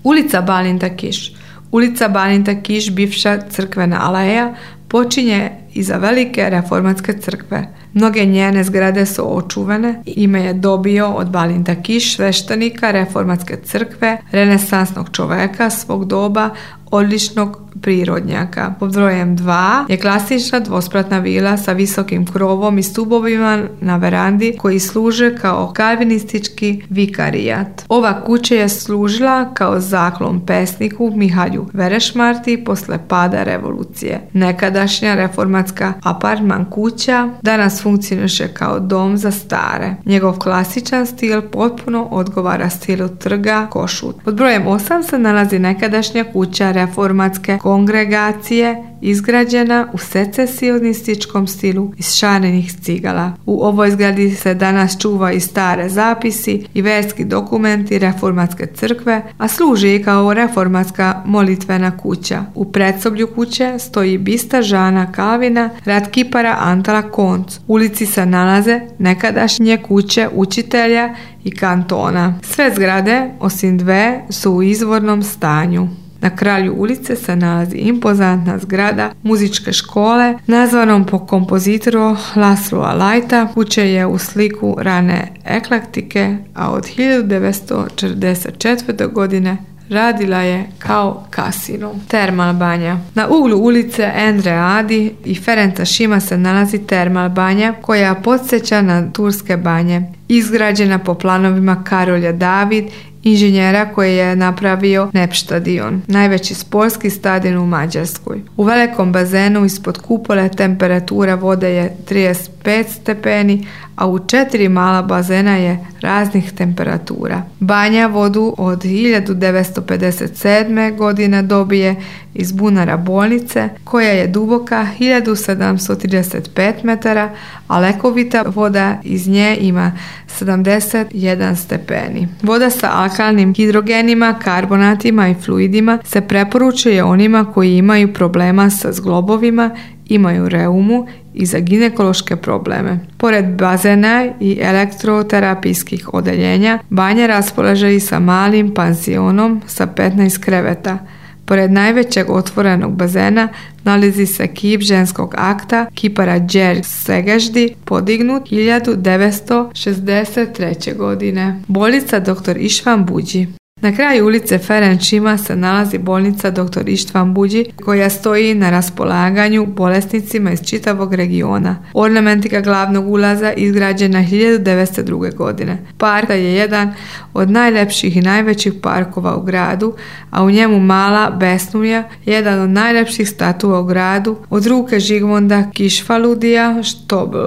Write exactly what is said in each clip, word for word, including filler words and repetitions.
Ulica Balinta Kiš. Ulica Balinta Kiš, bivša crkvena aleja, počinje iza velike reformatske crkve. Mnoge njene zgrade su očuvane. Ime je dobio od Balinta Kiš, sveštenika reformatske crkve, renesansnog čoveka svog doba, odličnog prirodnjaka. Pod brojem dva je klasična dvospratna vila sa visokim krovom i stubovima na verandi koji služe kao kalvinistički vikarijat. Ova kuća je služila kao zaklon pesniku Mihalju Verešmarti posle pada revolucije. Nekadašnja reformatska apartman kuća danas funkcioniše kao dom za stare. Njegov klasičan stil potpuno odgovara stilu trga Košut. Pod brojem osam se nalazi nekadašnja kuća reformatske kongregacije, izgrađena u secesionističkom stilu iz šanenih cigala. U ovoj zgradi se danas čuva i stare zapisi i verski dokumenti reformatske crkve, a služi i kao reformatska molitvena kuća. U predsoblju kuće stoji bista Žana Kalvina rad kipara Antala Konc. U ulici se nalaze nekadašnje kuće učitelja i kantona. Sve zgrade, osim dve, su u izvornom stanju. Na kraju ulice se nalazi impozantna zgrada muzičke škole nazvanom po kompozitoru Laszlo Alajta. Kuća je u sliku rane eklektike, a od hiljadu devetsto četrdeset četvrte. godine radila je kao kasino. Termal banja. Na uglu ulice Endre Adi i Ferenca Šima se nalazi termal banja koja podsjeća na turske banje. Izgrađena po planovima Karolja David, inženjera koji je napravio Nepštadion, najveći sportski stadion u Mađarskoj. U velikom bazenu ispod kupole temperatura vode je trideset pet stepeni, a u četiri mala bazena je raznih temperatura. Banja vodu od hiljadu devetsto pedeset sedme. godine dobije iz bunara bolnice, koja je duboka hiljadu sedamsto trideset pet metara, a lekovita voda iz nje ima sedamdeset jedan stepeni. Voda sa alkalnim hidrogenima, karbonatima i fluidima se preporučuje onima koji imaju problema sa zglobovima, imaju reumu i za ginekološke probleme. Pored bazena i elektroterapijskih odeljenja, banja raspolaže i sa malim pansionom sa petnaest kreveta. Pored najvećeg otvorenog bazena nalazi se kip ženskog akta kipara Đerđ Segeždi, podignut hiljadu devetsto šezdeset treće. godine. Bolnica doktor Ištvan Buđi. Na kraju ulice Ferenc Šima se nalazi bolnica doktor Ištvan Buđi, koja stoji na raspolaganju bolesnicima iz čitavog regiona. Ornamentika glavnog ulaza izgrađena hiljadu devetsto druge. godine. Park je jedan od najlepših i najvećih parkova u gradu, a u njemu mala Besnulja, jedan od najlepših statua u gradu, od ruke Žigmonda Kišfaludija Štobl.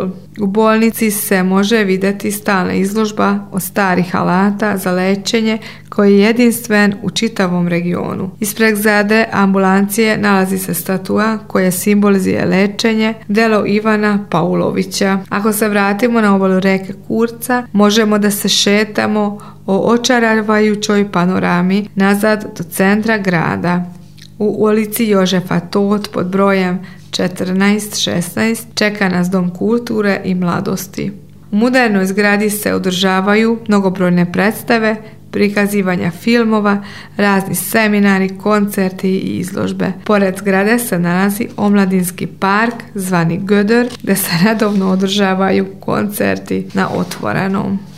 U bolnici se može vidjeti stalna izložba od starih alata za lečenje koji je jedinstven u čitavom regionu. Ispred zgrade ambulancije nalazi se statua koja simbolizuje lečenje, delo Ivana Paulovića. Ako se vratimo na obalu reke Kurca, možemo da se šetamo o očaravajućoj panorami nazad do centra grada. U ulici Jožefa Tot pod brojem četrnaest šesnaest čeka nas Dom kulture i mladosti. U modernoj zgradi se održavaju mnogobrojne predstave, prikazivanja filmova, razni seminari, koncerti i izložbe. Pored zgrade se nalazi omladinski park zvani Gödör, gdje se redovno održavaju koncerti na otvorenom.